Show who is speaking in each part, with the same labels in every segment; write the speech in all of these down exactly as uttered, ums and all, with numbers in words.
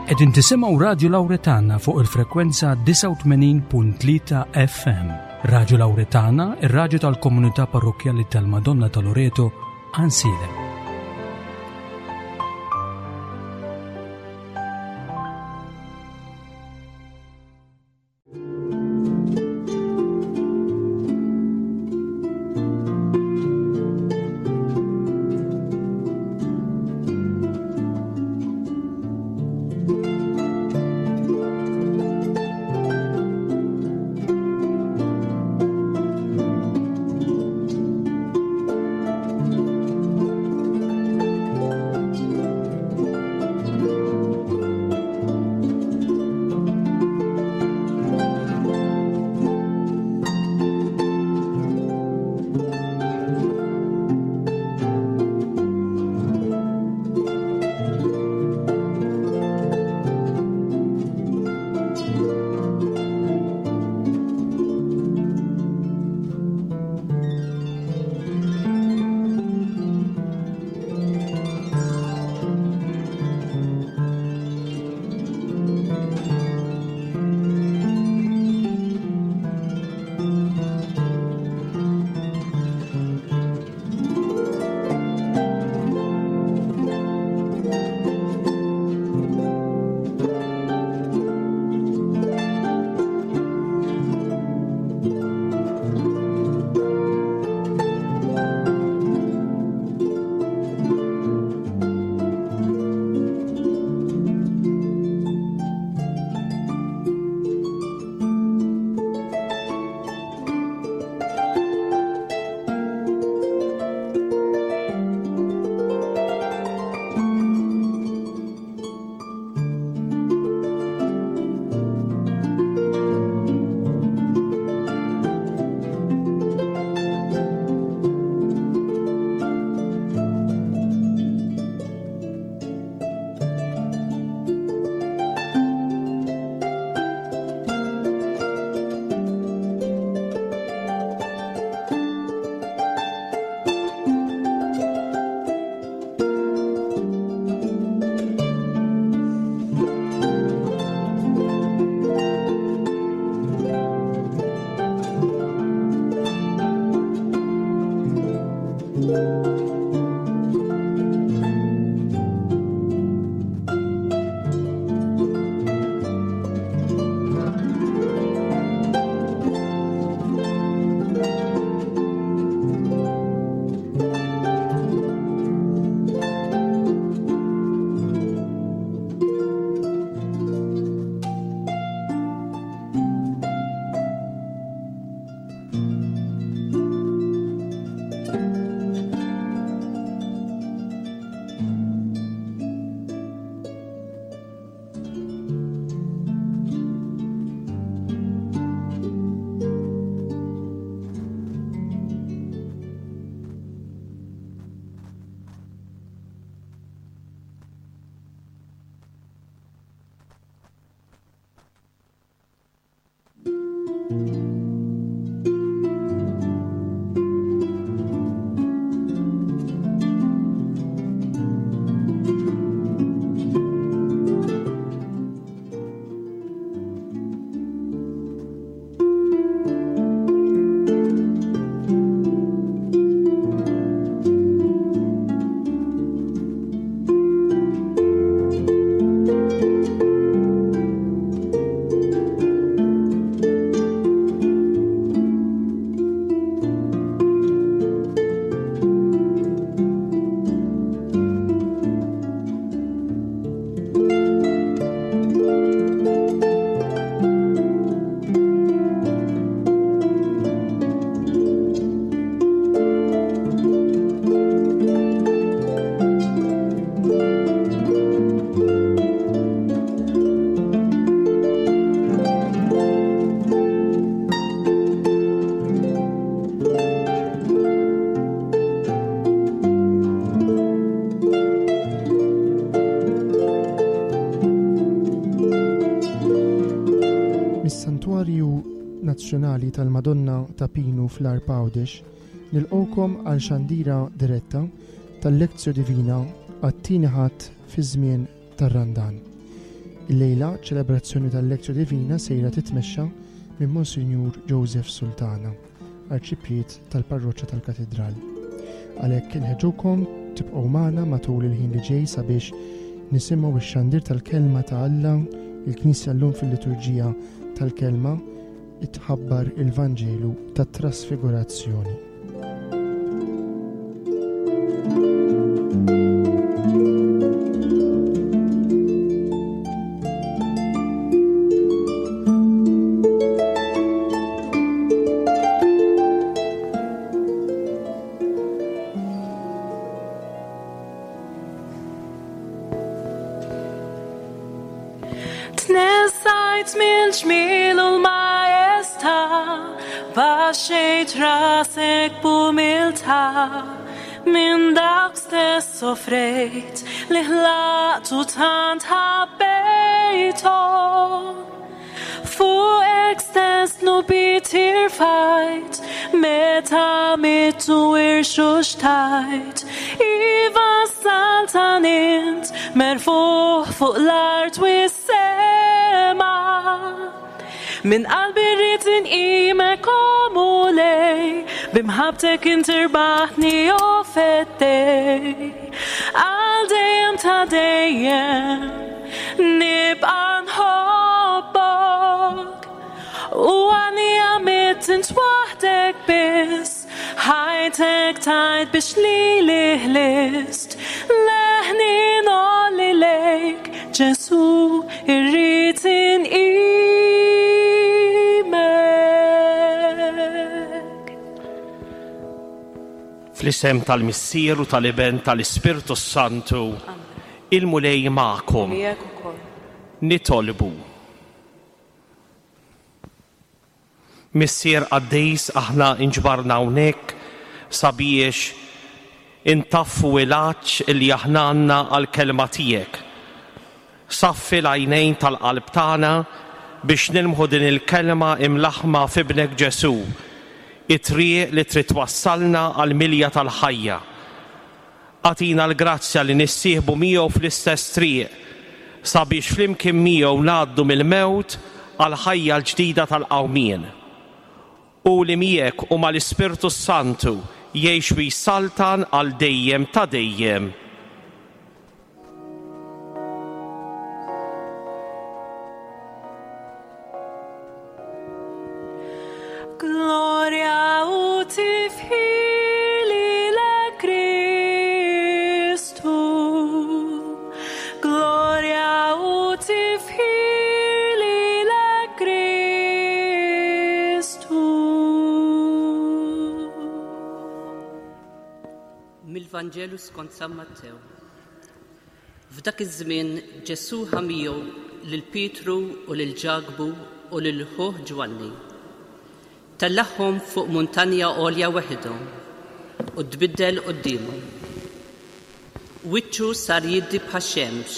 Speaker 1: Qegħdin tisimgħu Radju Lawretana fuq il-frekwenza disgħa u tmenin punt tlieta F M. Radju Lawretana, ir-radju tal-Komunità Parrokkjali tal-Madonna ta' Loreto, Għajnsielem.
Speaker 2: Mis-Santwarju Nazzjonali tal-Madonna ta' Pinu fl-Għarb Għawdex nilqgħukom għal xandira diretta tal-Lectio Divina għat-tieni Ħadd fi żmien tar-Randan. Illejla ċelebrazzjoni tal-Lectio Divina sejra titmexxa minn Monsinjur Joseph Sultana, Arċipriet tal-Parroċċa tal-Katidral. Għalhekk inħeġġukom tibqgħu magħna matul il-ħin li ġej sabiex nisimgħu x-xandir tal-kelma ta' Alla, il-Knisja llum fil-liturġija tal-kelma tħabbar il-Vanġelu tat-Trasfigurazzjoni.
Speaker 3: Tnessajt mill-ġmiel u l-maestà, baxxejt rasek b'umiltà, minn dak stess soffrejt li ħlaqtu tant ħabbejtu. Fuqek stess dnubiet irfajt, meta mittu irxuxtajt, iva saltan int merfuħ fuq l-art u s-sema. Minn qalbi rrid inqimek o Mulej, b'imħabbtek int irbaħtni o feddej. Għal dejjem ta' dejjem nibqa' nħobbok, u għalija mitt int waħdek biss, ħajtek tajt biex lili ħlist. Leħni ngħolli lejk, Ġesu, irrid inqimek.
Speaker 4: Fl-isem tal-Missier u tal-Iben tal-Ispirtu Santu, il-Mulej magħkom.
Speaker 3: Miegħek ukoll.
Speaker 4: Nitolbu. Missier qaddis, aħna inġbarna hawnhekk sabiex intaffu il-għatx li aħna għandna għall-kelma tiegħek. Saffi l-għajnejn tal-qalb tagħna biex nilmħu din il-kelma imlaħma f'ibnek Ġesu, it-triq li trid twassalna għall-milja tal-ħajja. Agħtina l-grazzja li nissieħbu miegħu fl-istess triq sabiex flimkien miegħu ngħaddu mill-mewt għall-ħajja l-ġdida tal-qawmien. U li miegħek u mal-Ispirtu Santu jgħix u jsaltan għal dejjem ta' dejjem.
Speaker 3: Gloria u tifħir lilek Kristu. Gloria u tifħir lilek Kristu.
Speaker 5: Mill-Vanġelu skont San Mattew. F'dak iż-żmien Ġesu ħa miegħu lil Pietru u lil Ġakbu u lil ħuh Ġwanni. Tellagħhom fuq muntanja għolja weħidhom u tbiddel quddiemhom. Wiċċu sar jiddi bħax-xemx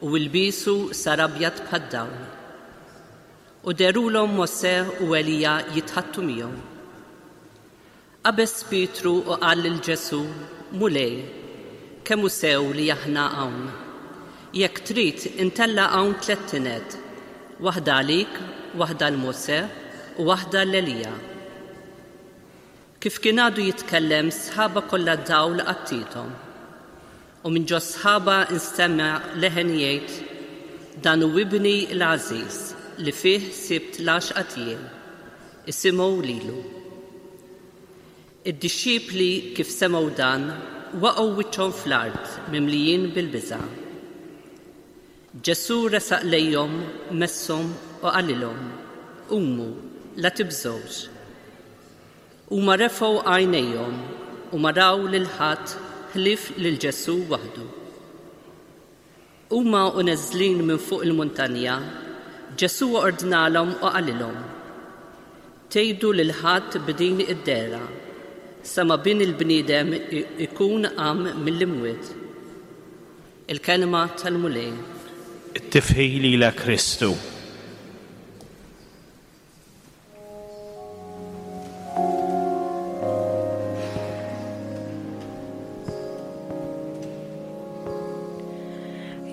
Speaker 5: u ilbiesu sar abjad bħad-dawl. U derulhom Mosè u Elija jitħattu miegħu. Qabeż Pietru u qal lil Ġesu, Mulej, kemm hu sew li aħna hawn. Jekk trid intella' hawn tliet tined, waħda għalik, waħda għal Mosè u waħda għal Elija. Kif kien għadu jitkellem, sħaba kollha dawl għattithom. U minn ġo sħaba nstema' leħen jgħid, Dan hu ibni l-għażiż li fih sibt l-għaxqa tiegħi, isimgħu lilu. Id-dixxipli kif semgħu dan waqgħu wiċċhom fl-art mimlijin bil-biża'. Ġesu resaq lejhom, messhom u qalilhom, Qumu, la tibżgħux. Huma refgħu għajnejhom u ma raw lil ħadd ħlief lil Ġesu waħdu. Huma u neżlin minn fuq il-muntanja, Ġesu ordnalhom u qalilhom, Tgħidu lil ħadd b'din id-dehra, sa ma bin il-bniedem ikun qam mill-imwiet. Il-kelma tal-Mulej.
Speaker 4: It-tifħir lilek Kristu.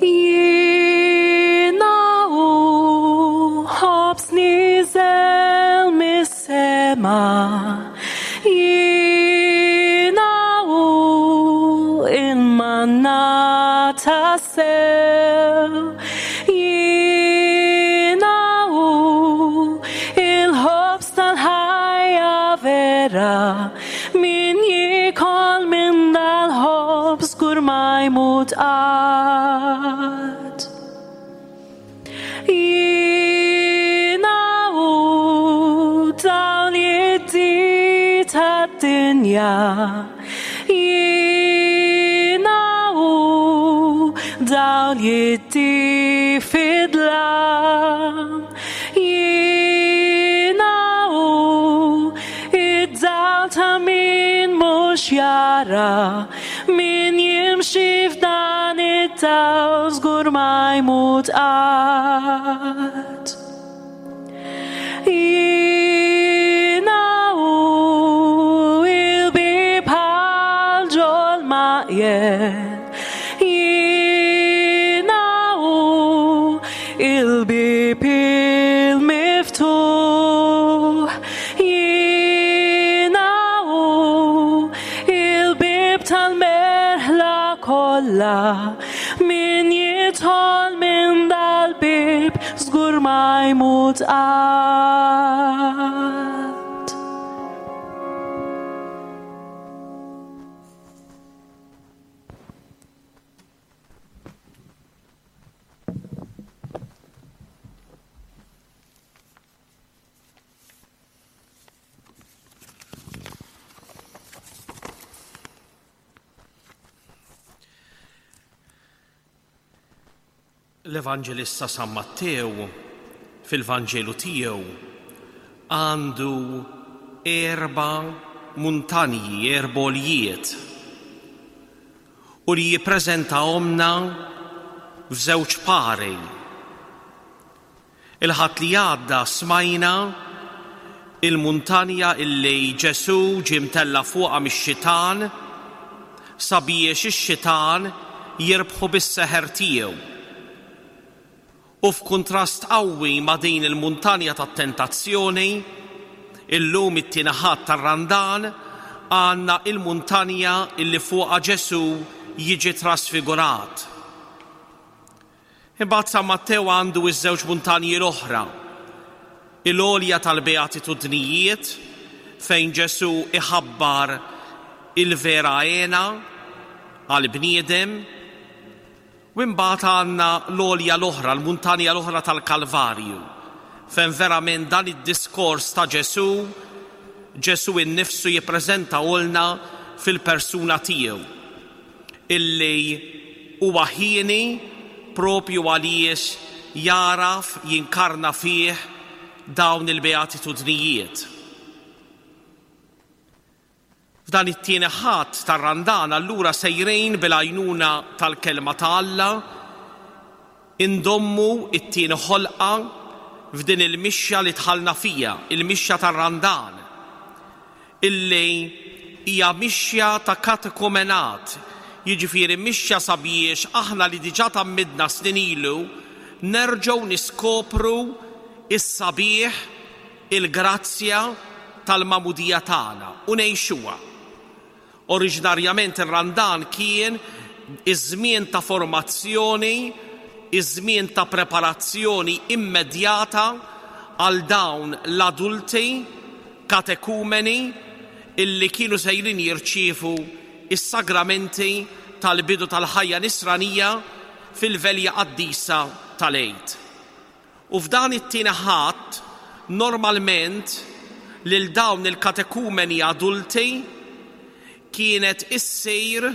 Speaker 3: Jiena tassew. Jiena hu il-ħobż tal-ħajja vera, min jiekol minn dal-ħobż żgur ma jmut qatt. Jiena hu dawl jiddi tad-dinja, jiena hu dawl jiddi fid-dlam, jiena hu id-dawl ta' min mhux jara, min jimxi f'dan id-dawl żgur ma jmut qatt. Jiena hu il-bieb għal ġol-maqjel, jiena hu il-bieb il-miftuħ, jiena hu il-bieb tal-merħla kollha, min jidħol minn dal-bieb żgur ma jmut qatt.
Speaker 4: L-Evanġelista San Mattew fil-Vanġelu tiegħu għandu erba' muntanji, erba' għoljiet, u li jippreżentahomna f'żewġ pari. Il-Ħadd li għadda smajna il-muntanja illi Ġesù ġie mtella' fuqha mix-xitan sabiex ix-xitan jirbħu bis-seħer tiegħu. U f'kuntrast qawwi ma' din il-muntanja tat-tentazzjoni, illum it-tieni Ħadd tar-Randan għandna il-muntanja illi fuqha Ġesù jiġi trasfigurat. Imbagħad San Mattew għandu iż-żewġ muntanji l-oħra, il-għolja tal-Beatitudnijiet fejn Ġesù iħabbar il-vera għena għall-bniedem, u imbagħad għandna l-għolja l-oħra, l-muntanja l-oħra tal-Kalvarju, fejn verament dan id-diskors ta' Ġesù, Ġesù innifsu jippreżentahulna fil-persuna tiegħu, illi huwa ħieni propju għaliex jaraf jinkarna fih dawn il-beatitudnijiet. F'dan it-tieni Ħadd tar-Randan allura sejrin bil-għajnuna tal-kelma ta' Alla indommu it-tieni ħolqa f'din il-mixja li dħalna fija, il-mixja tar-Randan, illi hija mixja ta' katekumenat, jiġifieri mixja sabiex aħna li diġà tgħammidna snin ilu nerġgħu niskopru is-sabiħ, il-grazzja tal-magħmudija tagħna u ngħixuha. Oriġinarjament ir-Randan kien iż-żmien ta' formazzjoni, iż-żmien ta' preparazzjoni immedjata għal dawn l-adulti katekumeni illi kienu sejrin jirċievu is-sagramenti tal-bidu tal-ħajja nisranija fil-velja qaddisa tal-Għid. U f'dan it-tieni Ħadd normalment lil dawn il-katekumeni adulti kienet issir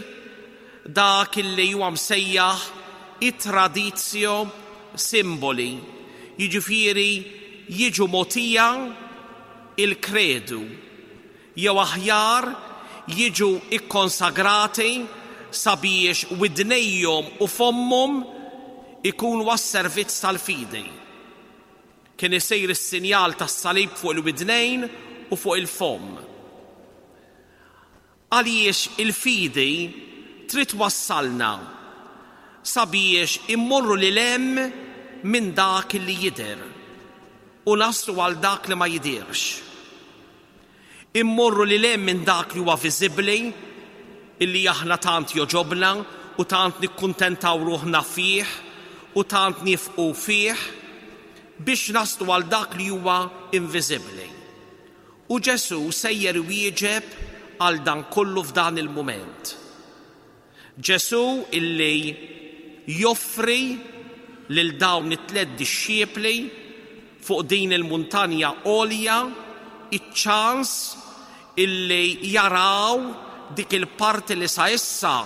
Speaker 4: dak illi huwa msejjaħ it-tradizio simboli, jiġifieri jiġu mogħtija il-kredu, jew aħjar jiġu ikkonsagrati sabiex widnejhom u fommhom ikunu għas-servizz tal-fidi. Kien isir is-sinjal tas-salib fuq il-widnejn u fuq il-fomm. Għaliex il-fidi trid wassalna sabiex immorru lil hemm minn dak li jidher u naslu għal dak li ma jidirx. Immorru lil hemm minn dak li huwa viżibbli, illi aħna tant joġobna u tant nikkuntentaw ruħna fih u tant nifqu fih biex naslu għal dak li huwa inviżibbli. U Ġesù sejjer wieġeb għal dan kollu f'dan il-mument. Ġesù illi joffri lil dawn it-tliet dixxipli fuq din il-muntanja għolja iċ-ċans illi jaraw dik il-parti li sa issa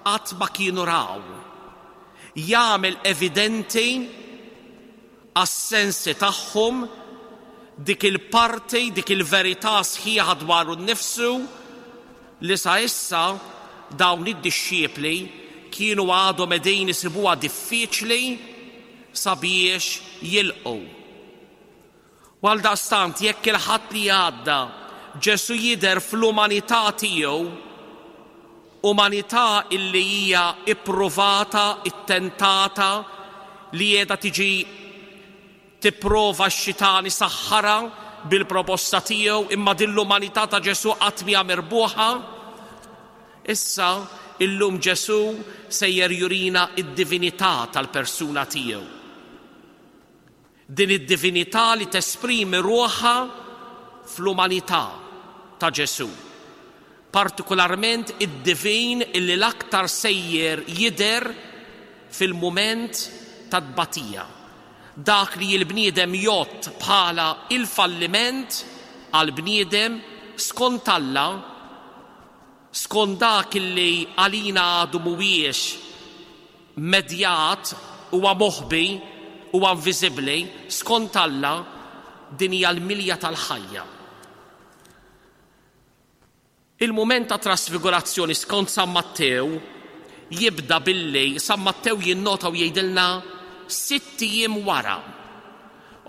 Speaker 4: qatt ma kienu raw. Jagħmel evidenti għas-sensi tagħhom dik il-parti, dik il-verità sħiħa dwaru nnifsu li sa issa dawn id-dixxipli kienu għadhom qegħdin isibuha diffiċli sabiex jilqgħu. U għaldaqstant jekk il-Ħadd li għadda Ġesù jidher fl-umanità tiegħu, umanità illi hija ippruvata, ittentata, li qiegħda tiġi tipprova x-xitan isaħħarha bil-proposta tiegħu, imma din l-umanità ta' Ġesù qatt mhija mirbuħa. Issa illum Ġesù sejjer jurina id-divinità tal-persuna tiegħu. Din id-divinità li tesprimi ruħha fl-umanità ta' Ġesù. Partikolarment id-divin illi l-aktar sejjer jidher fil-mument ta' tbatija. Dak li l-bniedem jgħodd bħala il-falliment għal-bniedem skont Alla, skont dak illi għalina għadu mhuwiex medjat, huwa moħbi, huwa inviżibbli, skont Alla din hija l-milja tal-ħajja. Il-mument ta' trasfigurazzjoni skont San Mattew jibda billi San Mattew jinnota u jgħidilna sitt ijiem wara.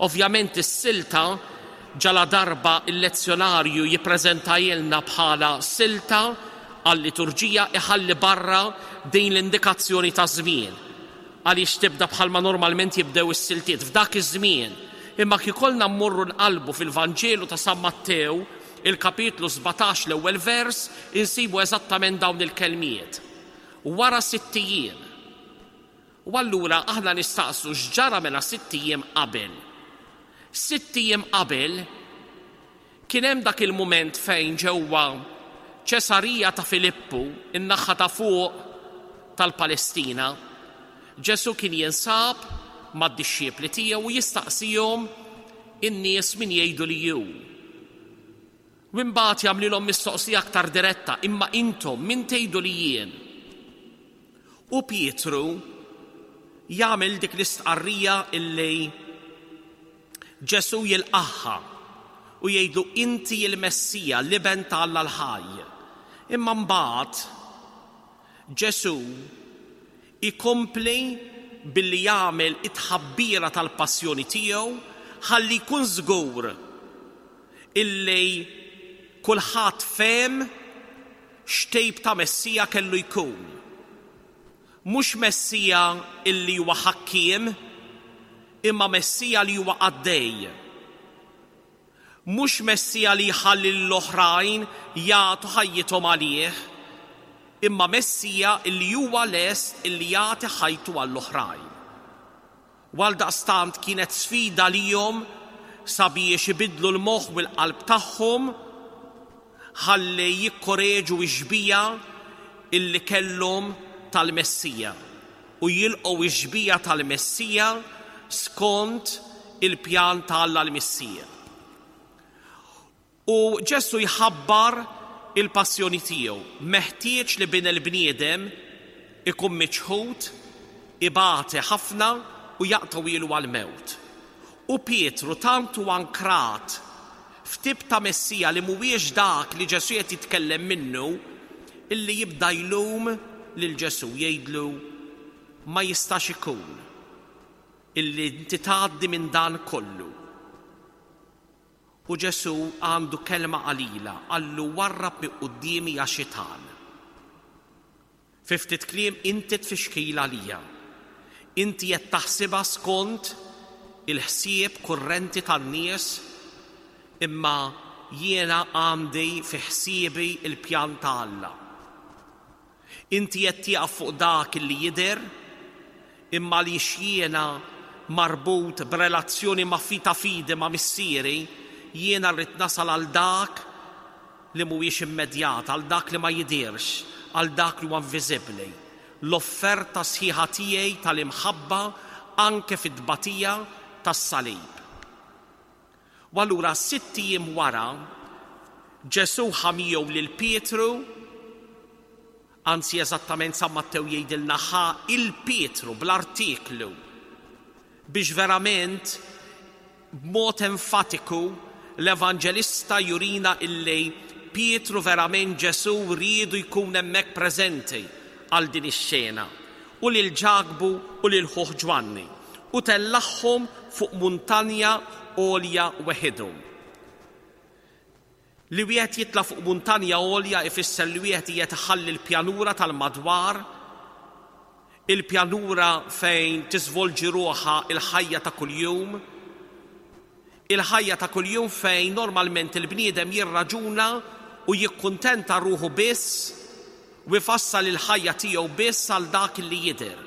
Speaker 4: Ovvjament is-silta ġala darba il-lezzjonarju jippreżentajilna bħala silta għal-liturġija iħalli barra din l-indikazzjoni ta' żmien. Għaliex tibda bħalma normalment jibdew is-siltiet f'dak iż-żmien. Imma kiekolna mmorru nqalbu fil-Vanġelu ta' San Mattew, il-kapitlu sbatax l-ewwel vers, insibu eżattament dawn il-kelmiet. Wara sitt ijiem. U allura aħna nistaqsu x'ġara mela sitt ijiem qabel. Sitt ijiem qabel kien hemm dak il-mument fejn ġewwa Ċesarija ta' Filippu, in-naħa ta' fuq tal-Palestina, Ġesù kien jinsab mad-dixxipli tiegħu u jistaqsihom in-nies min jgħidu li hu. U mbagħad jagħmlilhom mistoqsija aktar diretta, imma intom min tgħidu li jien? U Pietru jagħmel dik l-istqarrija illi Ġesù jilqaħħa u jgħidlu inti l-Messija, l-Iben ta' Alla l-ħaj. Imma mbagħad Ġesù ikompli billi jagħmel it-tħabbira tal-passjoni tiegħu ħalli jkun żgur illi kulħadd fehem x'tejb ta' Messija kellu jkun. Mhux Messija illi huwa ħakkiem, imma Messija li huwa qaddej. Mhux Messija li jħalli l-oħrajn jagħtu ħajjithom għalih, imma Messija illi huwa lest illi jagħti ħajtu għall-oħrajn. U għaldaqstant kienet sfida lihom sabiex ibidlu l-moħħ u l-qalb tagħhom ħalli jikkoreġu x-xbija illi kellhom tal-Messija u jilqgħu x-xbija tal-Messija skont il-pjan ta' Alla l-Missija. U Ġesù jħabbar il-passjoni tiegħu, meħtieġ li bin il-bniedem ikun miċħud, ibati ħafna u jaqtgħu għall-mewt. U Pietru tant hu ankrat f'tip ta' Messija li mhuwiex dak li Ġesù qed jitkellem minnu, illi jibda jlum lil Ġesù jgħidlu ma jistax ikun illi inti tgħaddi minn dan kollu. U Ġesù għandu kelma qalila, qallu warrab minn quddiemi ja xitan. Fi ftit kliem inti tfixkil għalija. Inti qed taħsibha skont il-ħsieb kurrenti tan-nies, imma jiena għandi fi ħsiebi il-pjan ta' Alla. Inti qed tieqaf fuq dak li jidher, imma li jiena marbut b'relazzjoni ma' fita fidi ma' missieri, jiena rrid nasal għal dak li mhuwiex immedjat, għal dak li ma jidirx, għal dak li huwa inviżibbli. L-offerta sħiħa tiegħi tal-imħabba anke fit-tbatija tas-salib. U allura sitt ijiem wara Ġesù ħa miegħu lil Pietru, anzi eżattament San Mattew jgħidilna ħa il Pietru bl-artiklu, biex verament b'mod enfatiku l-Evanġelista jurina illi Pietru verament Ġesù riedu jkun hemmhekk preżenti għal din ix-xena, u lil Ġakbu u lil ħuh Ġwanni, u tellagħhom fuq muntanja għolja weħidhom. Li wieħed jitla' fuq muntanja għolja ifisser li wieħed qiegħed iħalli l-pjanura tal-madwar, il-pjanura fejn tiżvolġi ruħha il-ħajja ta' kuljum, il-ħajja ta' kuljum fejn normalment il-bniedem jirraġuna u jikkuntenta ruħu biss u jfassal il-ħajja tiegħu biss għal dak li jidher,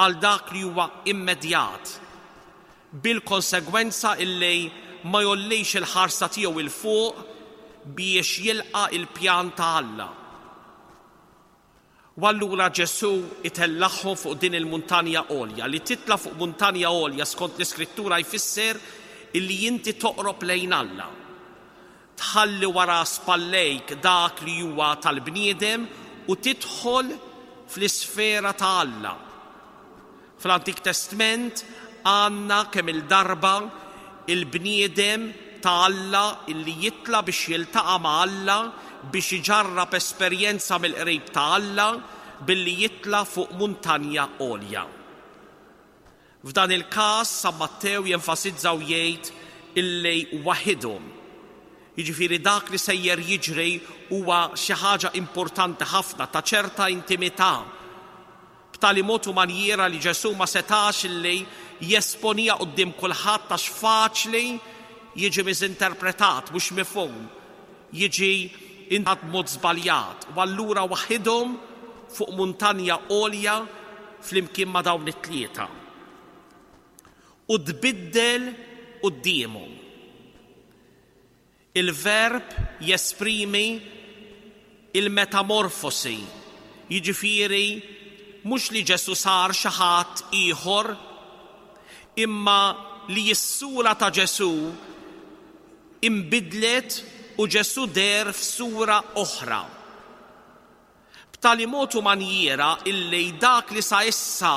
Speaker 4: għal dak li huwa immedjat, bil-konsegwenza illi ma jollix il-ħarsa tiegħu 'il fuq biex jilqa' il-pjan ta' Alla. U allura Ġesù itellagħhom fuq din il-muntanja għolja. Li titla' fuq muntanja għolja skont l-Iskrittura jfisser illi inti toqrob lejn Alla. Tħalli wara spallejk dak li huwa tal-bniedem u tidħol fl-isfera ta' Alla. Fl-Antik Testament għandna kemm il-darba il-bniedem ta' Alla illi jitla' biex jiltaqa' ma' Alla, biex iġarrab esperjenza mill-qrib ta' Alla billi jitla' fuq muntanja għolja. F'dan il-każ San Mattew jenfasizza u jgħid illi waħidhom. Jiġifieri dak li sejjer jiġri huwa xi ħaġa importanti ħafna ta' ċerta intimità, b'tali mod u manjiera li Ġesù ma setax illi jesponija quddiem kulħadd għax faċli jiġi miżinterpretat, mhux mifhum, jiġi intat mod żbaljat. U allura waħidhom fuq muntanja għolja flimkien ma' dawn it-tlieta. U tbiddel quddiemhom. Il-verb jesprimi il-metamorfosi, jiġifieri mhux li Ġesù sar xi ħadd ieħor, imma li s-sura ta' Ġesù imbidlet u Ġesù deher f'sura oħra. B'tali mod u manjiera illi dak li sa issa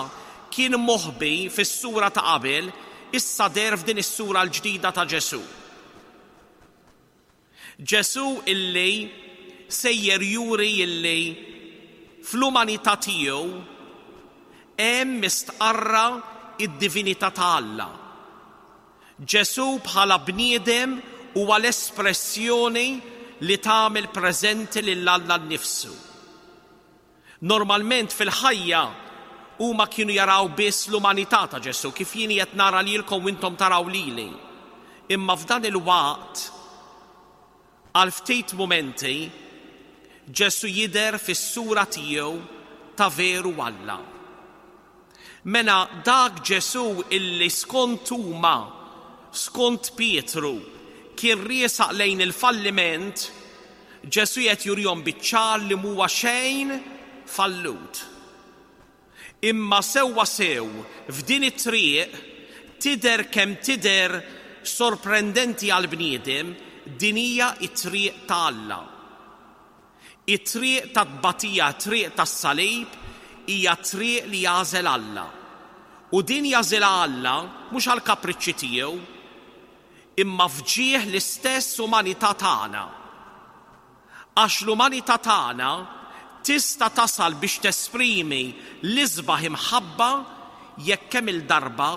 Speaker 4: kien moħbi fis-sura ta' qabel, issa deher f'din is-sura l-ġdida ta' Ġesù. Ġesù illi sejjer juri illi fl-umanità tiegħu hemm mistqarra id-divinità ta' Alla. Ġesù bħala bniedem huwa l-espressjoni li tagħmel preżenti lil Alla nnifsu. Normalment fil-ħajja huma kienu jaraw biss l-umanità ta' Ġesù, kif jien qed nara lilkom u intom taraw lili. Imma f'dan il-waqt, għal ftit mumenti, Ġesù jidher fis-sura tiegħu ta' veru Alla. Mela dak Ġesù illi skont huma, skont Pietru, kien riesaq lejn il-falliment, Ġesù qed jurihom biċ-ċar li mhuwa xejn fallut. Imma sewwa sew f'din it-triq tidher kemm tidher sorprendenti għall-bniedem, din hija t-triq ta' Alla. It-triq ta' tbatija, triq tas-salib, hija triq li jagħżel Alla. U din jagħżilha Alla mhux għall-kapriċċi tiegħu, imma fġieħ l-istess umanità tagħna. Għax l-umanità tagħna tista' tasal biex tesprimi l-isbaħ imħabba jekk kemm il-darba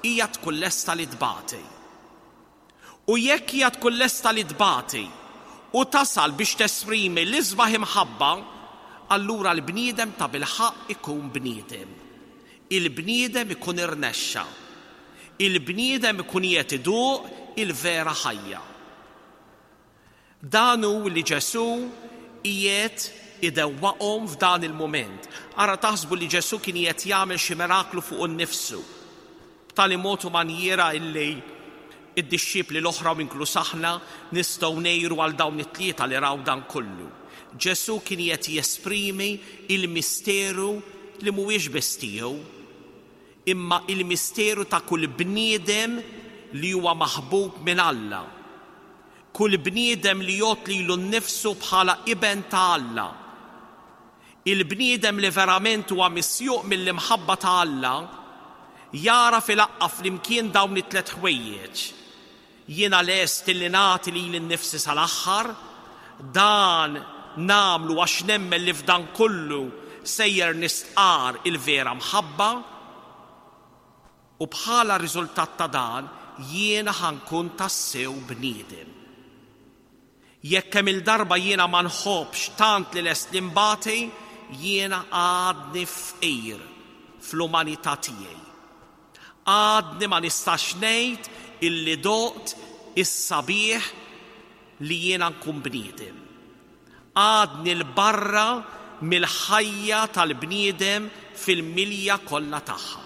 Speaker 4: hija tkun lesta li tbati. U jekk hija tkun lesta li tbati u tasal biex tesprimi l-isbaħ imħabba, allura l-bniedem ta' bilħaqq ikun bniedem. Il-bniedem ikun irnexxa. Il-bniedem ikun qiegħed iduq il-vera ħajja. Dan hu li Ġesù qiegħed idewwaqhom f'dan il-mument. Ara taħsbu li Ġesù kien qed jagħmel xi miraklu fuq innifsu, b'tali mod u manjiera illi id-dixxipli l-oħra u inkluż aħna nistgħu ngħiru għal dawn it-tlieta li raw dan kollu. Ġesù kien qed jesprimi il-misteru li mhuwiex biss tiegħu, imma il-misteru ta' kull bniedem li huwa maħbub minn Alla. Kull bniedem li jgħodd lilu nnifsu bħala iben ta' Alla. Il-bniedem li verament huwa misjuq mill-imħabba ta' Alla jara fil-aqqa flimkien dawn it-tliet ħwejjeġ. Jiena lest li nagħti lili nnifsi sal-aħħar, dan nagħmlu għax nemmen li f'dan kollu sejjer nistqar il-vera mħabba, u bħala riżultat ta' dan jiena ħa nkun tassew bniedem. Jekk kemm il-darba jiena ma nħobbx tant li lest li nbati, jiena għadni fqir fl-umanità tiegħi. Għadni ma nistax ngħid illi doqt is-sabiħ li jiena nkun bniedem. Għadni l-barra mill-ħajja tal-bniedem fil-milja kollha tagħha.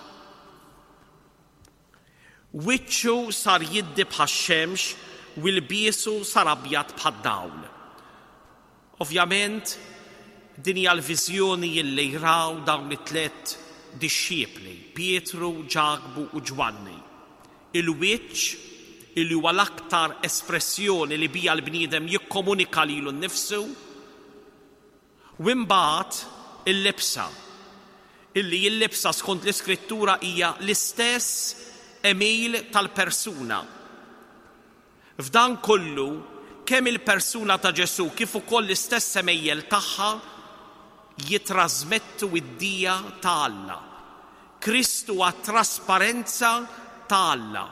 Speaker 4: Wiċċu sar jiddi bħax-xemx u lbiesu sar abjad bħad-dawl. Ovvjament, din hija l-viżjoni li jraw dawn it-tliet dixxipli, Pietru, Ġakbu u Ġwanni. Il-wiċċ illi huwa l-aktar espressjoni li bija l-bniedem jikkomunika lilu nnifsu, u imbagħad il-libsa, illi l-libsa skont l-Iskrittura hija l-istess għemil tal-persuna. F'dan kollu, kemm il-persuna ta' Ġesù kif ukoll l-istess għemejjel tagħha jitrasmettu id-dija ta' Alla. Kristu huwa trasparenza ta' Alla.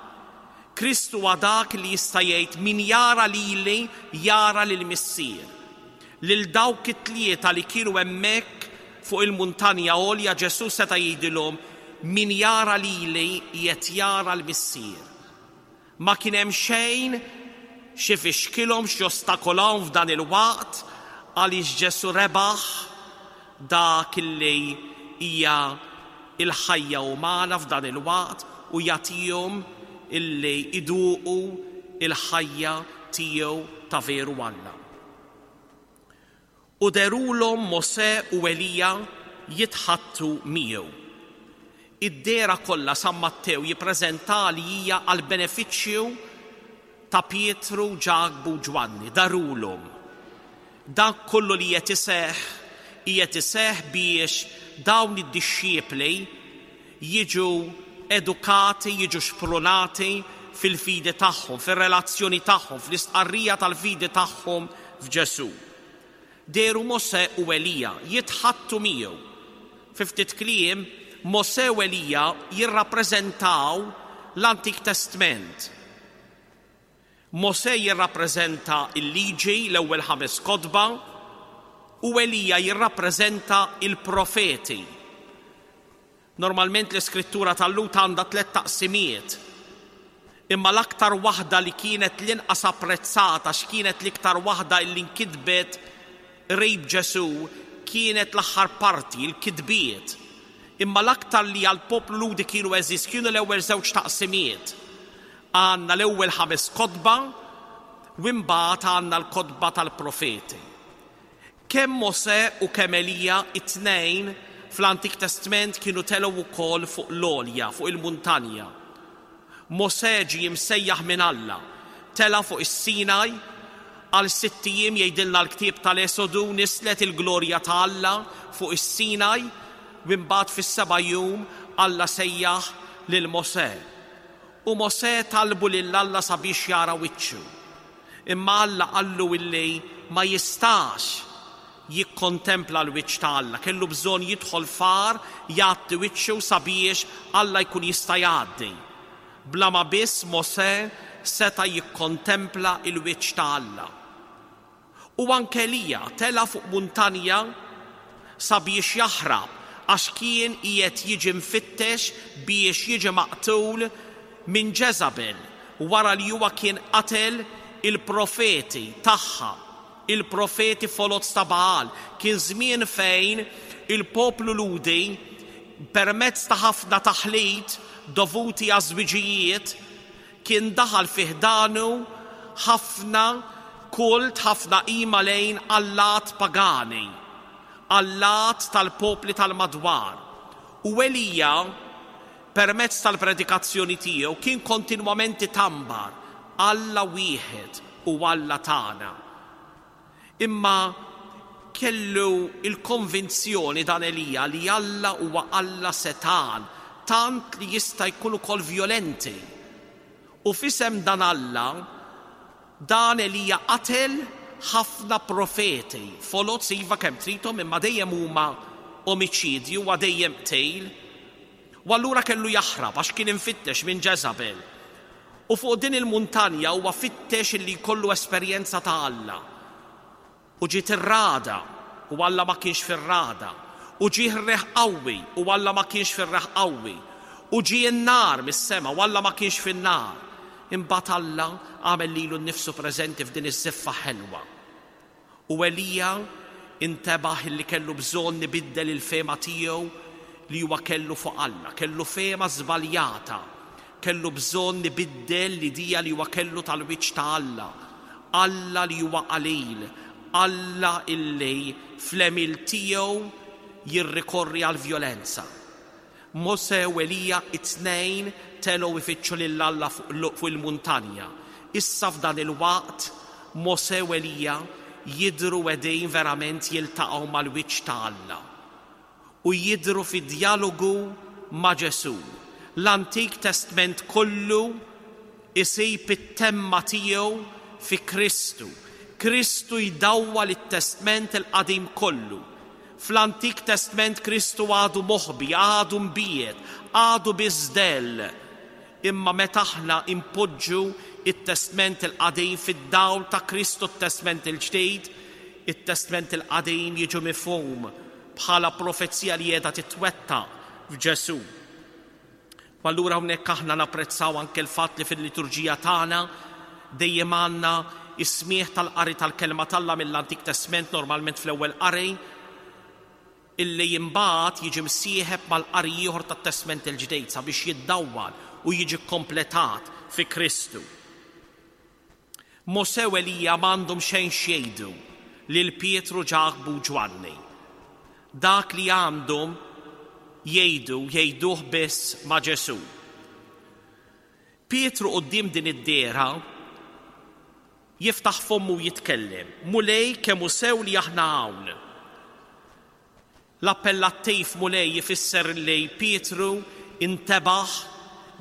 Speaker 4: Kristu huwa dak li jista' jgħid min jara lili jara lil Missier. Lil dawk it-tlieta li kienu hemmhekk fuq il-muntanja għolja Ġesù seta' jgħidilhom min jara lili qed jara l-Missier. Ma kien hemm xejn xi fixkilhom x'jostakolahom f'dan il-waqt għaliex Ġesù rebaħ dak li hija il-ħajja umana f'dan il-waqt u jagħtihom illi iduqu il-ħajja tiegħu ta' veru Alla. U derulhom Mosè u Elija jitħattu miegħu. Id-dehra kollha San Mattew jippreżenta li hija għal benefiċċju ta' Pietru, Ġakbu u Ġwanni, darulhom. Dak kollu li qed iseħħ qiegħed iseħħ biex dawn id-dixxipli jiġu edukati, jiġu xprunati fil-fidi tagħhom, fir-relazzjoni tagħhom, fl-istqarrija tal-fidi tagħhom f'Ġesù. Dehru Mosè u Elija jitħattu miegħu. Fi ftit kliem, Mosè u Elija jirrappreżentaw l-Antik Testament. Mosè jirrappreżenta l-liġi, l-ewwel ħames kotba, u Elija jirrappreżenta il-profeti. Normalment l-iskrittura tal-Lhud għandha tliet taqsimiet, imma l-aktar waħda li kienet l-inqas apprezzata x'kienet l-iktar waħda li nkitbet qrib Ġesù kienet l-aħħar parti, il-kitbiet. Imma l-aktar li għall-poplu Lhudi kienu għeżież kienu l-ewwel żewġ taqsimiet. Għandna l-ewwel ħames kotba u imbagħad għandna l-kotba tal-profeti. Kemm Mosè u kemm Elija it-tnejn fl-Antik Testament kienu telgħu wkoll fuq l-għolja, fuq il-muntanja. Mosè ġie msejjaħ minn Alla, tela' fuq is-Sinaj għal sitt ijiem jgħidilna l-ktieb tal-Esodu nislet il-glorja ta' Alla fuq is-Sinaj, u imbagħad fis-seba' jum Alla sejjaħ lil Mosè. U Mosè talbu lil Alla sabiex jara wiċċu. Imma Alla qallu illi ma jistax jikkontempla l-wiċċ ta' Alla, kellu bżonn jidħol f'għar jgħatti wiċċu sabiex Alla jkun jista' jgħaddi. Bla ma biss Mosè seta' jikkontempla l-wiċċ ta' Alla. U anke Elija tela' fuq muntanja sabiex jaħrab għax kien qiegħed jiġi mfittex biex jiġi maqtul minn Ġeżabel wara li huwa kien qatel il-profeti tagħha. il-profeti foloz ta' Baal. Kien żmien fejn il-poplu Lhudi permezz ta' ħafna taħlit dovuti għaż-żwiġijiet kien daħal fi ħdanu ħafna kult, ħafna qima lejn allat pagani, allat tal-popli tal-madwar. U Elija, permezz tal-predikazzjoni tiegħu, kien kontinwament itambar Alla wieħed u Alla tagħna. Imma kellu il-konvinzjoni dan Elija li Alla huwa Alla setan, tant li jista' jkun ukoll violenti. U f'isem dan Alla, dan Elija qatel ħafna profeti, foloz iva kemm tridhom, imma dejjem huma omiċidju, huwa dejjem qtil. U allura kellu jaħrab għax kien infittex minn Ġeżabel. U fuq din il-muntanja huwa fittex illi jkollu esperjenza ta' Alla. U ġiet ir-ragħda u Alla ma kienx fir-ragħda. U ġie r-riħ qawwi u Alla ma kienx fir-riħ qawwi. U ġie n-nar mis-sema u Alla ma kienx fin-nar. Imbagħad Alla għamel lilu nnifsu preżenti f'din iż-żiffa ħelwa. U Elija intebaħ illi kellu bżonn ibiddel il-fehma tiegħu li huwa kellu fuq Alla, kellu fehma żbaljata, kellu bżonn ibiddel l-idea li huwa kellu tal-wiċċ ta' Alla. Alla li huwa qalil, Alla illi fl-għemil tiegħu jirrikorri għall-vjolenza. Mose u Elija it-tnejn telgħu ifittxu lil Alla fuq il-muntanja. Issa f'dan il-waqt Mose u Elija jidhru qegħdin verament jiltaqgħu mal-wiċċ ta' Alla u jidhru fi dialogu ma' Ġesù. L-Antik Testament kollu isib it-temma tiegħu fi Kristu. Kristu jdawwal it-Testament il-Qadim kollu. Fl-Antik Testament Kristu għadu moħbi, għadu mbiegħed, għadu biżdell. Imma meta aħna impoġġu it-Testament il-Qadim fid-dawl ta' Kristu t-Testament il-Ġdid, it-Testament il-Qadim jiġu mifhum bħala profezija li qiegħda titwettaq f'Ġesù. U allura hawnhekk aħna napprezzaw anke l-fatt li fil-liturġija tagħna dejjem għandna is-smieħ tal-qari tal-kelma t'Alla mill-Antik Testament, normalment fl-ewwel qari, illi imbagħad jiġi msieħeb mal-qari ieħor tat-Testament il-Ġdid sabiex jiddawwal u jiġi kompletat fi Kristu. Mose u Elija m'għandhom xejn x'jgħidu lil Pietru, Ġakbu u Ġwanni. Dak li għandhom jgħidu, jgħiduh biss ma' Ġesù. Pietru quddiem din id-dehra jiftaħ fommu u jitkellem. Mulej, kemm hu sew li aħna hawn. L-appellattiv Mulej jifisser li Pietru intebaħ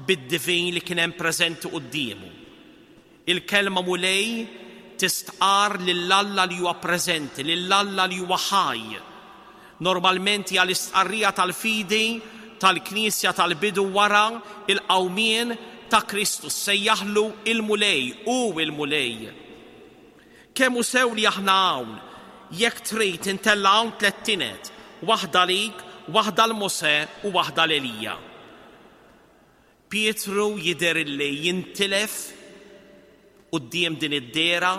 Speaker 4: bid-divin li kien hemm preżenti quddiemu. Il-kelma Mulej tistqar lil Alla li huwa preżenti, lil Alla li huwa ħaj. Normalment hija l-istqarrija tal-fidi tal-Knisja tal-bidu wara il-qawmien ta' Kristu, sejjaħlu il-Mulej, u il-Mulej. Kemm hu sew li aħna hawn, jekk trid intella' hawn tliet tined, waħda lik, waħda l Mose u waħda l Elija. Pietru jidher illi jintilef quddiem din id-dehra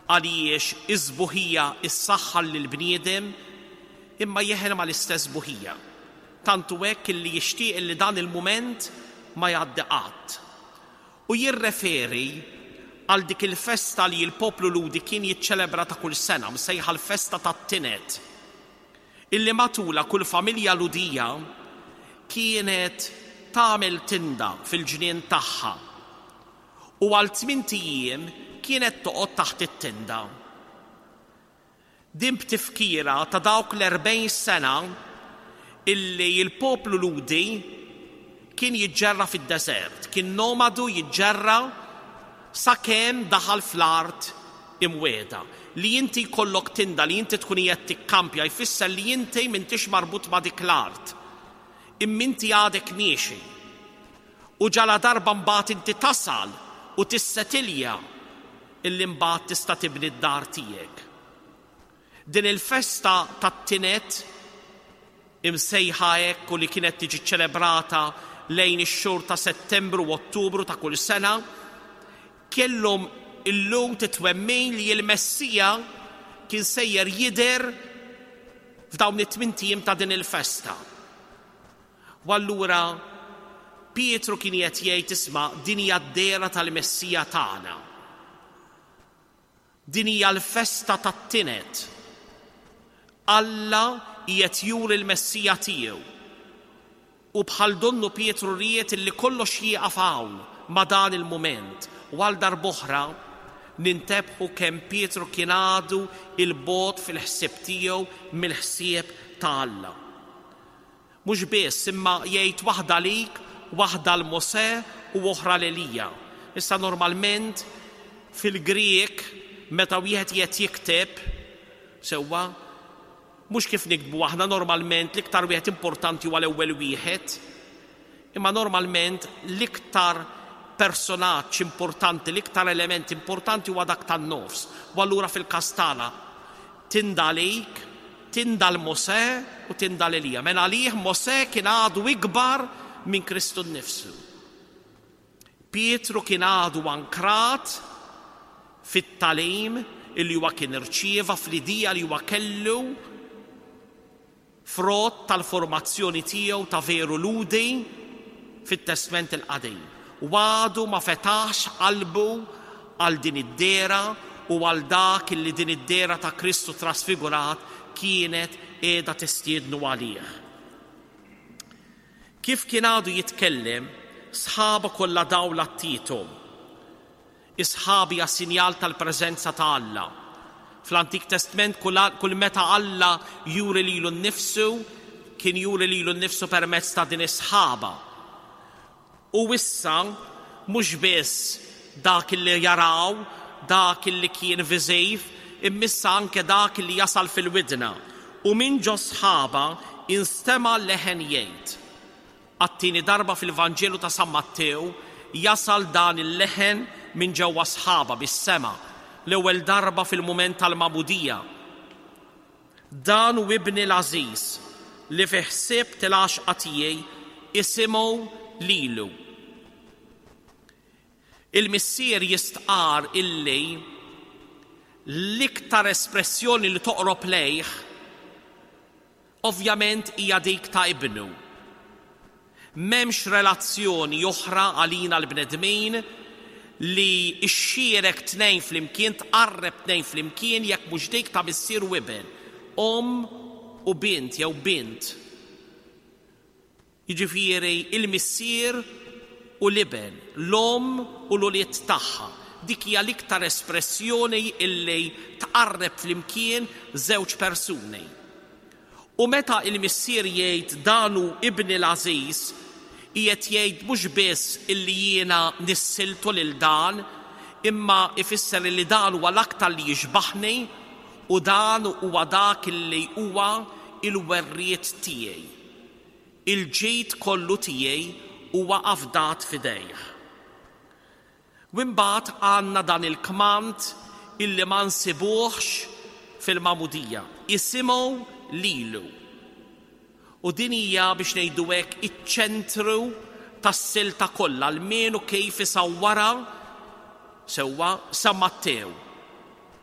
Speaker 4: għaliex is-sbuħija issaħħar lill-bniedem imma jeħel mal-istess buħija. Tantu hekk illi jixtieq illi dan il-mument ma jgħaddi qatt. U jirreferi għal dik il-festa li l-poplu Lhudi kien jiċċelebra ta' kull sena, msejħa l-festa tat-tined, illi matula kull familja Lhudija kienet tagħmel tinda fil-ġnien tagħha u għal tmint ijiem kienet toqgħod taħt it-tinda. Din b'tifkira ta' dawk l-erbgħin sena illi l-poplu Lhudi kien jiġġerra fid-deżert, kien nomadu jiġġerra sakemm daħal fl-art imwiegħda. Li inti jkollok tinda, li inti tkun qiegħed tikkampja, jfisser li inti m'intix marbut ma' dik l-art. Imma inti għadek miexi. U ġala darba mbagħad inti tasal u tissetilja illi mbagħad tista' tibni d-dar tiegħek. Din il-festa tat-tined imsejħa hekk u li kienet tiġi ċelebrata lejn ix-xhur ta' Settembru u Ottubru ta' kull sena, kellhom il-Lhud it-twemmin li l-Messija kien sejjer jidher f'dawn it-tmint ijiem ta' din il-festa. U allura Pietru kien qed jgħid, isma', din hija d-dehra tal-Messija tagħna. Din hija l-festa tat-tined. Alla qiegħed juri l-Messija tiegħu. U bħal donnu Pietru ried li kollox jieqaf hawn ma' dan il-mument. U għal darb'oħra nintebħu kemm Pietru kien għadu 'l bogħod fil-ħsieb tiegħu mill-ħsieb ta' Alla. Mhux biss, imma jgħid waħda lik, waħda lil Mosè u oħra lil Elija. Issa normalment fil-Grieg meta wieħed qed jikteb sewwa, mhux kif niktbu aħna normalment, l-iktar wieħed importanti huwa l-ewwel wieħed, imma normalment l-iktar personaġġ importanti, l-iktar element importanti huwa dak tan-nofs. U allura fil-każ tagħna tinda għalik, tinda lil Mosè u tinda lil Elija. Mela għalih Mosè kien għadu ikbar minn Kristu nnifsu. Pietru kien għadu ankrat fit-tagħlim illi huwa kien irċieva, fl-idea li huwa kellu frott tal-formazzjoni tiegħu ta' veru Lhudi fit-Testment il-Qadim. U għadu ma fetaħx qalbu għal din id-dehra u għal dak illi din id-dehra ta' Kristu trasfigurat kienet qiegħda tistiednu għalih. Kif kien għadu jitkellem, sħaba kollha dawl għattithom. Is-sħaba hija sinjal tal-preżenza ta' Alla. Fl-Antik Testament kull, kull meta Alla juri lilu nnifsu, kien juri lilu nnifsu permezz ta' din is-sħaba. U issa mhux biss dak li jaraw, dak li kien viżiv, imma issa anke dak li jasal fil-widna. U minn ġo sħaba instema' leħen jgħid. Għat-tieni darba fil-Vanġelu ta' San Mattew jasal dan il-leħen minn ġewwa sħaba bis-sema, l-ewwel darba fil-mument tal-magħmudija. Dan hu ibni l-għażiż li fih sibt il-għaxqa tiegħi, isimgħu lilu. Il-missier jistqar illi l-iktar espressjoni li toqrob lejh ovvjament hija dik ta' ibnu. M'hemmx relazzjoni oħra għalina l-bnedmin li xxierek tnejn flimkien, tqarreb tnejn flimkien jekk mhux dik ta' missier u iben, omm u bint jew bint. Jiġifieri il-missier u l-iben, l-omm u l-ulied tagħha. Dik hija l-iktar espressjoni illi tqarreb flimkien żewġ persuni. U meta il-missier jgħid dan hu ibni l-għażiż, qiegħed jgħid mhux biss illi jiena nissiltu lil dan, imma ifisser illi dan huwa l-aktar li jixbaħni u dan huwa dak illi huwa il-werriet tiegħi. Il-ġid kollu tiegħi huwa afdat f'idejh. U mbagħad għandna dan il-kmand illi ma nsibuhx fil-magħmudija. Isimgħu lilu. U din hija biex ngħidu hekk iċ-ċentru tas-silta kollha, l-menu kif isawwara sewwa San Mattew.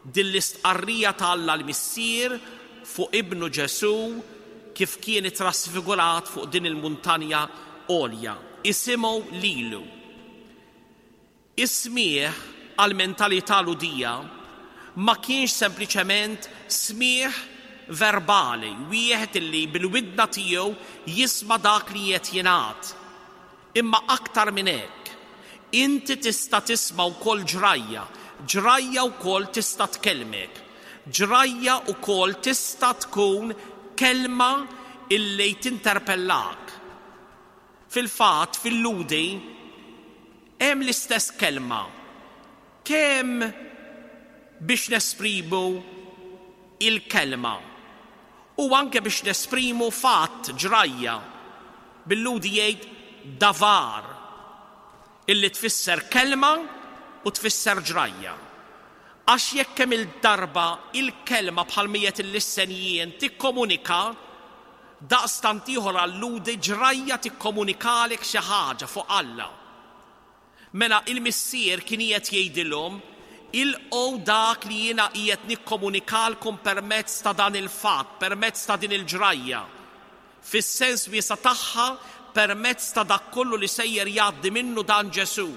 Speaker 4: Din l-istqarrija ta' Alla l-Missier fuq ibnu Ġesù kif kien ittrasfigurat fuq din il-muntanja għolja. Isimgħu lilu. Is-smieħ għal-mentalità Lhudija ma kienx sempliċement smieħ verbali, wieħed illi bil-widna tiegħu jisma' dak li qed jingħad. Imma aktar minn hekk, inti tista' tisma' wkoll ġrajja, ġrajja wkoll tista' tkellmek, ġrajja wkoll tista' tkun kelma illi tinterpellak. Fil-fatt, fil-Lhudi, hemm l-istess kelma kemm biex nesprimu il-kelma u anke biex nesprimu fatt, ġrajja. Bil-Lhudi jgħid davar, illi tfisser kelma u tfisser ġrajja. Għax jekk kemm il-darba il-kelma bħal mijiet il-lissenjien tikkomunika, daqstant ieħor għal-Lhudi ġrajja tikkomunikalek xi ħaġa fuq Alla. Mela il-missier kien qiegħed jgħidilhom Ilqgħu dak li jiena qiegħed nikkomunikalkom permezz ta' dan il-fatt, permezz ta' din il-ġrajja. Fis-sens wiesa' tagħha, permezz ta' dak kollu li sejjer jgħaddi minnu dan Ġesù,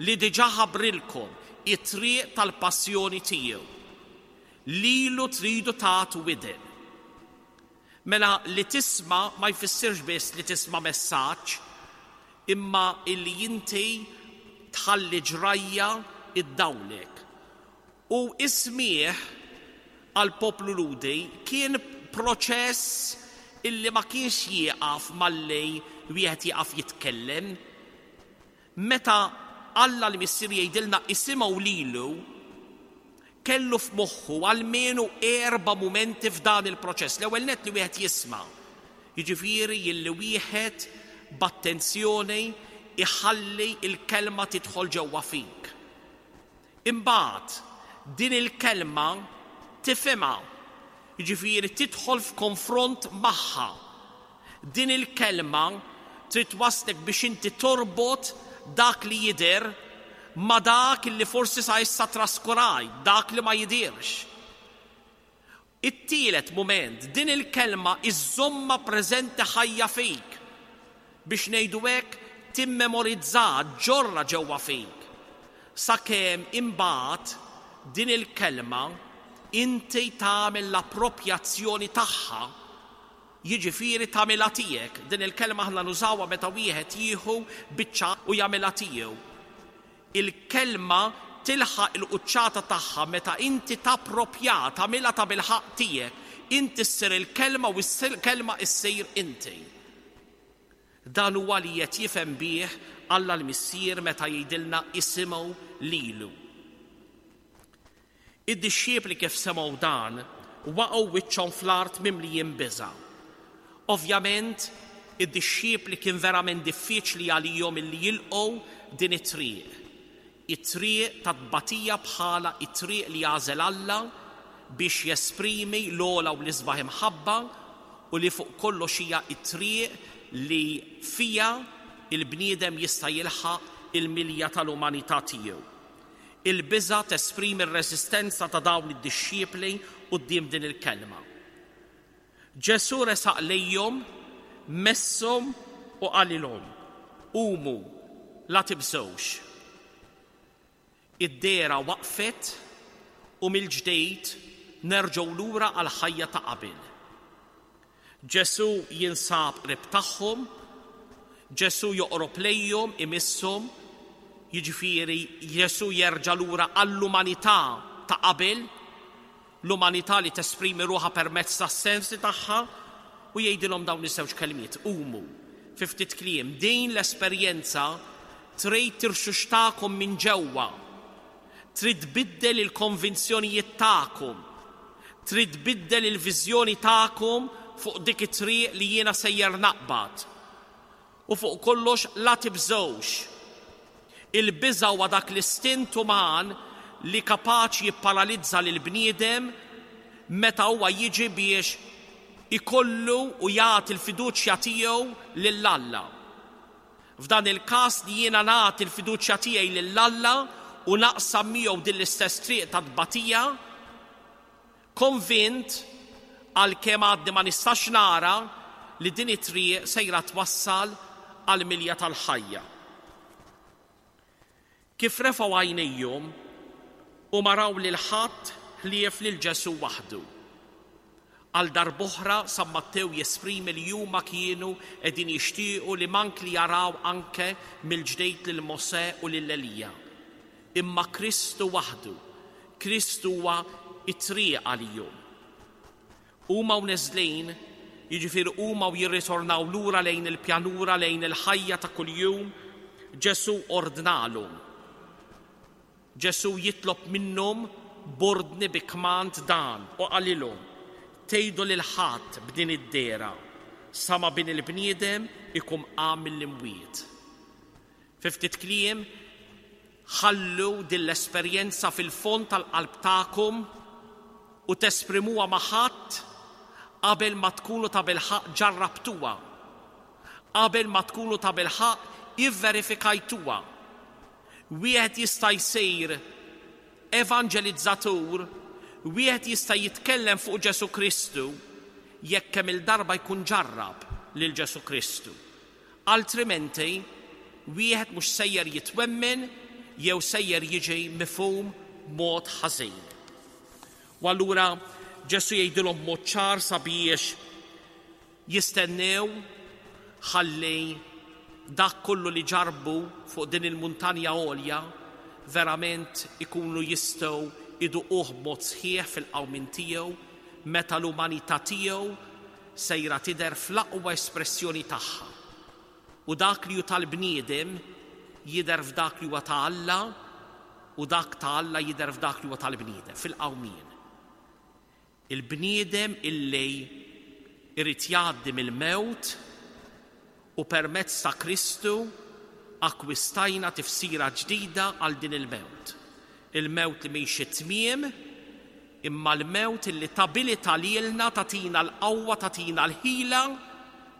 Speaker 4: li diġà ħabbrilkom it-triq tal-passjoni tiegħu. Lilu tridu tagħtu widen. Mela li tisma' ma jfissirx biss li tisma' messaġġ, imma illi inti tħalli ġrajja iddawlek. U s-smigħ għall-poplu Lhudi kien proċess illi ma kienx jieqaf malli wieħed jieqaf jitkellem. Meta Alla l-Missier jgħidilna isimgħu lilu, kellu f'moħħu almenu erba' mumenti f'dan il-proċess. L-ewwel nett li wieħed jisma', jiġifieri illi wieħed b'attenzjoni iħalli l-kelma tidħol ġewwa fik. Imbagħad din il-kelma tifhimha, jiġifieri tidħol f'konfront magħha. Din il-kelma trid twaslek biex inti torbot dak li jidher ma' dak li forsi sa issa traskurajt, dak li ma jidhirx. It-tielet mument, din il-kelma iżżommha preżenti ħajja fik, biex ngħidu hekk timmemorizzaha, ġġorrha ġewwa fik, sakemm imbagħad din il-kelma inti tagħmel l-appropjazzjoni tagħha, jiġifieri tagħmilha tiegħek. Din il-kelma aħna nużawha meta wieħed jieħu biċċa u jagħmilha tiegħu. Il-kelma tilħaq il-quċċata tagħha meta inti tappropjaha, tagħmilha tabilħaqq tiegħek. Inti ssir il-kelma u l-kelma ssir inti. Dan huwa li qed jifhem bih Alla l-Missier meta jgħidilna isimgħu lilu. Id-dixxiepli kif semgħu dan waqgħu wiċċhom fl-art mimlijin biża'. Ovvjament, id-dixxiepli kien verament diffiċli għalihom illi jilqgħu din it-triq. It-triq ta' tbatija bħala it-triq li għażel Alla biex jesprimi l-ogħla u l-isbaħ imħabba u li fuq kollox hija it-triq li fija il-bniedem jista' jilħaq il-milja tal-umanità tiegħu. Il-biża' tesprimi r-reżistenza ta' dawn id-dixxiepli quddiem din il-kelma. Ġesù resaq lejhom, messhom u qalilhom, Qumu, la tibżgħux. Id-dehra waqfet u mill-ġdid nerġgħu lura għall-ħajja ta' qabel. Ġesù jinsab qrib tagħhom, Ġesù joqrob lejhom, imisshom, jiġifieri Ġesù jerġa' lura għall-umanità ta' qabel, l-umanità li tesprimi ruħha permezz tas-sensi tagħha, u jgħidilhom dawn iż-żewġ kelmiet, qumu. Fi ftit kliem, din l-esperjenza trid tirxuxtakom minn ġewwa, trid tbiddel il-konvinzjonijiet tagħkom, trid tbiddel il-viżjoni tagħkom fuq dik it-triq li jiena sejjer naqbad. U fuq kollox la tibżgħux. Il-biża' huwa dak l-istint uman li kapaċi jipparalizza lil bniedem meta huwa jiġi biex ikollu u jagħti l-fiduċja tiegħu lil Alla. F'dan il-każ li jiena nagħti l-fiduċja tiegħi lil Alla u naqsam miegħu din l-istess triq ta' tbatija, konvint għalkemm għadni ma nistax nara li din it-triq sejra twassal għall-milja tal-ħajja. Kif refgħu għajnejhom u ma raw lil ħadd ħlief lil Ġesù waħdu. Għal darb'oħra San Mattew jesprimi li huma kienu qegħdin jixtiequ li mank li jaraw anke mill-ġdejt lil Mosè u lil Elija. Imma Kristu waħdu, Kristu huwa it-triq għalihom. Huma u neżlin, jiġifieri huma u jirritornaw lura lejn il-pjanura, lejn il-ħajja ta' kuljum, Ġesù ordnalhom. Ġesù jitlob minnhom b'ordni bi kmand dan u qalilhom, tgħidu lil ħadd b'din id-dehra sa ma bin il-bniedem ikun qam mill-imwiet. Fi ftit kliem, ħallu din l-esperjenza fil-fond tal-qalb tagħkom u tesprimuha ma' ħadd qabel ma tkunu ta' bilħaqq ġarrabtuha, qabel ma tkunu ta' bilħaqq ivverifikajtuha. Wieħed jista' jsir Evanġelizzatur, wieħed jista' jitkellem fuq Ġesù Kristu jekk kemm il-darba jkun ġarrab lil Ġesù Kristu. Altrimenti, wieħed mhux sejjer jitwemmen jew sejjer jiġi mifhum mod ħażin. U allura Ġesù jgħidilhom mod ċar sabiex jistennew ħalli dak kollu li ġarbu fuq din il-muntanja għolja verament ikunu jistgħu iduquh b'mod sħiħ fil-qawmien tiegħu meta l-umanità tiegħu sejra tidher fl-aqwa espressjoni tagħha. U dak li hu tal-bniedem jidher f'dak li huwa ta' Alla u dak ta' Alla jidher f'dak li huwa tal-bniedem fil-qawmien. Il-bniedem illi irid jgħaddi mill-mewt u permezz ta' Kristu akkwistajna tifsira ġdida għal din il-mewt. Il-mewt li mhix it-tmiem, imma l-mewt illi tabilita lilna tagħtina l-qawwa, tagħtina l-ħila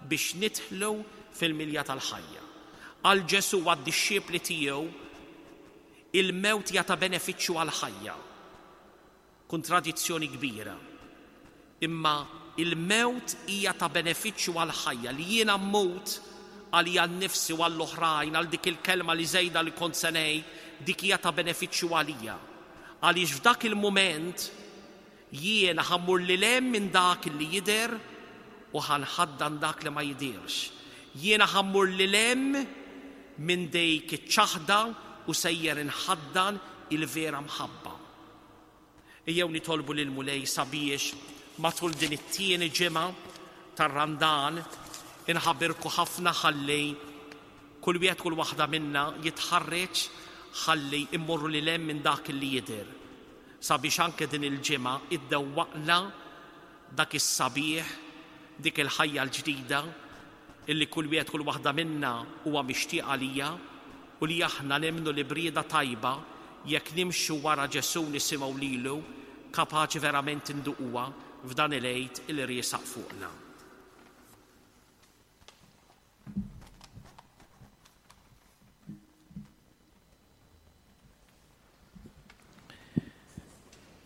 Speaker 4: biex nidħlu fil-milja tal-ħajja. Għal Ġesù għad-dixxipli tiegħu il-mewt hija ta' benefiċċju għall-ħajja. Kontradizzjoni kbira. Imma il-mewt hija ta' benefiċċju għall-ħajja li jiena mmut għalija nnifsi u għall-oħrajn, għal dik il-kelma li żejda li kont se ngħid, dik hija ta' benefiċċju għalija. Għaliex f'dak il-mument jiena ħa mmur lil hemm minn dak li jidher u ħa nħaddan dak li ma jidirx. Jiena ħa mmur lil hemm minn dik iċ-ċaħda u sejjer inħaddan il-vera mħabba. Ejjew nitolbu lil Mulej sabiex matul din it-tieni ġimgħa tar-Randan inħabirku ħafna ħalli kull wieħed kull waħda minna jitħarreġ ħalli immorru lil hemm minn dak li jidher. Sabiex anke din il-ġimgħa iddewwaqna dak is-sabiħ, dik il-ħajja l-ġdida illi kull wieħed kull waħda minna huwa mixtieq għalija u li aħna nemmnu li brieda tajba jekk nimxu wara Ġesù nisimgħu lilu kapaċi verament induquha f'dan il-Għid il riesaq fuqna.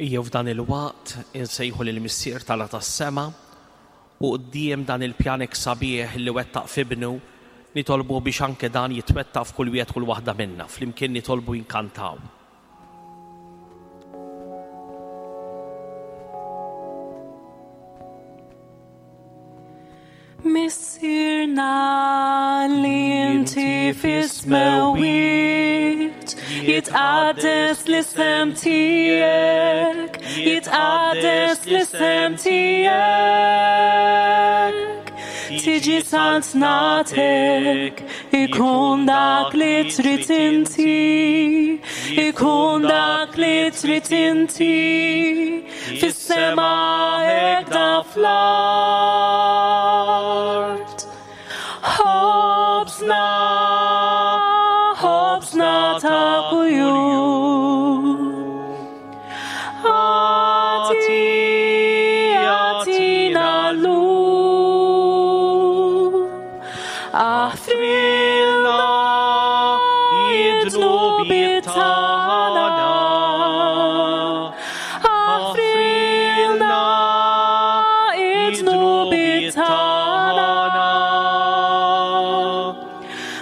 Speaker 4: Ejjew f'dan il-waqt insejħu lil Missier tagħna tas-sema u quddiem dan il-pjanek sabiħ li wettaq f'ibnu nitolbu biex anke dan jitwettaq f'kull wieħed kull waħda minna. Flimkien nitolbu jinkantaw.
Speaker 3: Missierna li inti fis-smewwiet, jitqaddes l-isem tiegħek, jitqaddes l-isem tiegħek. Tiġi saltnatek, ikun dak li trid inti, ikun dak li trid inti, fis-sema hekk da fl-art. Ħobżna, ħobżna ta' kuljum. Agħti, agħtina llum. Aħfrilna id-dnubiet tagħna. Aħfrilna id-dnubiet tagħna.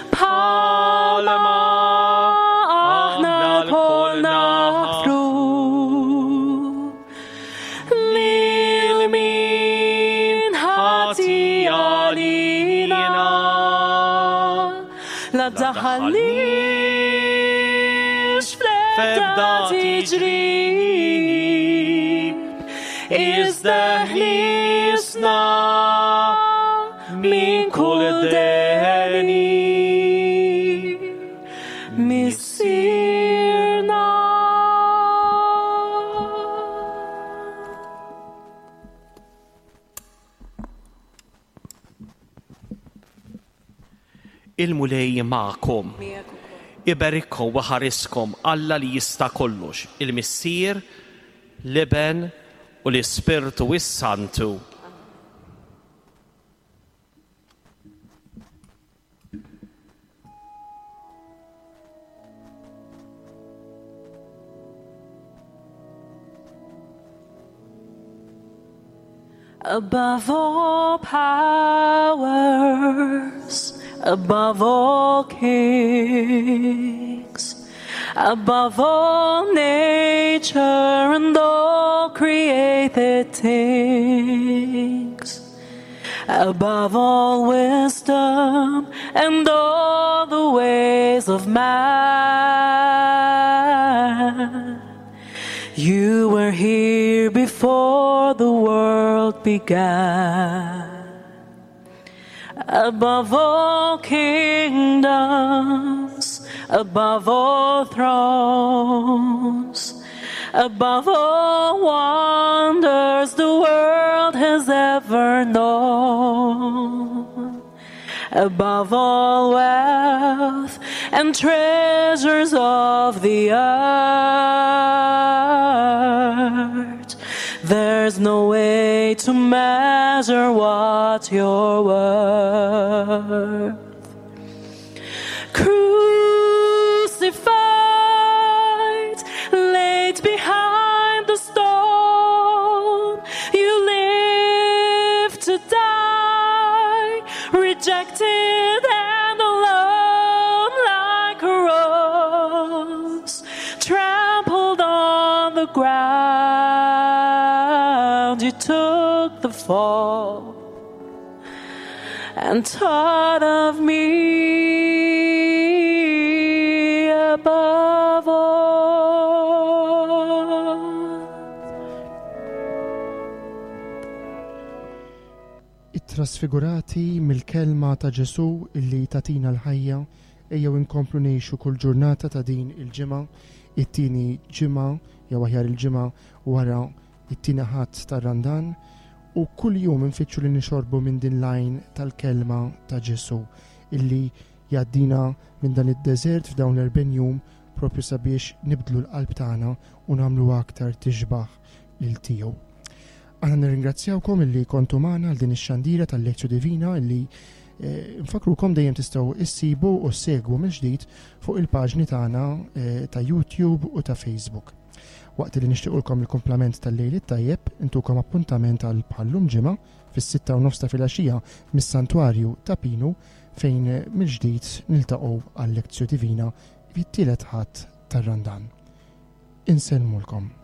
Speaker 3: Bħalma aħna lkoll naħfru lil min ħati għalina. La daħalniex fl-ebda tiġrib, iżda ħlisna minn kull deni. Missierna.
Speaker 4: Il-Mulej magħkom. Iberikkom u ħariskom Alla li jista' kollox, il-Missier, l-Iben u l-Ispirtu s-Santu.
Speaker 3: Above all powers, above all kings, above all nature and all created things, above all wisdom and all the ways of man, you were here before the world began. Above all kingdoms, above all thrones, above all wonders the world has ever known, above all wealth and treasures of the earth, there's no way to measure what you're worth. Crucified, laid behind the stone, you live to die, rejected and alone, like a rose trampled on the ground. You took the fall and taught of me above all.
Speaker 2: It-trasfigurati mill-kelma ta' Ġesù illi tatina l-ħajja, ejjew inkomplu ngħixu kull ġurnata ta' din il-ġimgħa, it-tieni ġimgħa jew aħjar il-ġimgħa wara it-tieni Ħadd tar-Randan, u kull jum infittxu li nixorbu minn din l-għajn tal-kelma ta' Ġesù illi jgħaddina minn dan id-deżert f'dawn l-erbgħin jum propju sabiex nibdlu l-qalb tagħna u nagħmlu aktar tixbaħ lil tiegħu. Aħna nirringrazzjawkom illi kontu magħna għal din ix-xandira tal-Lectio Divina illi eh, nfakrukom dejjem tistgħu issibu u ssegwu mill-ġdid fuq il-paġni tagħna eh, ta' YouTube u ta' Facebook. Waqt li nixtiequlkom il-kumplament tal-lejl it-tajjeb, intukom appuntament għal bħallum ġimgħa fis-sitta u nofs ta' filgħaxija mis-Santwarju ta' Pinu fejn mill-ġdid niltaqgħu għal Lectio Divina fit-tielet Ħadd tar-Randan. Insellmulkom.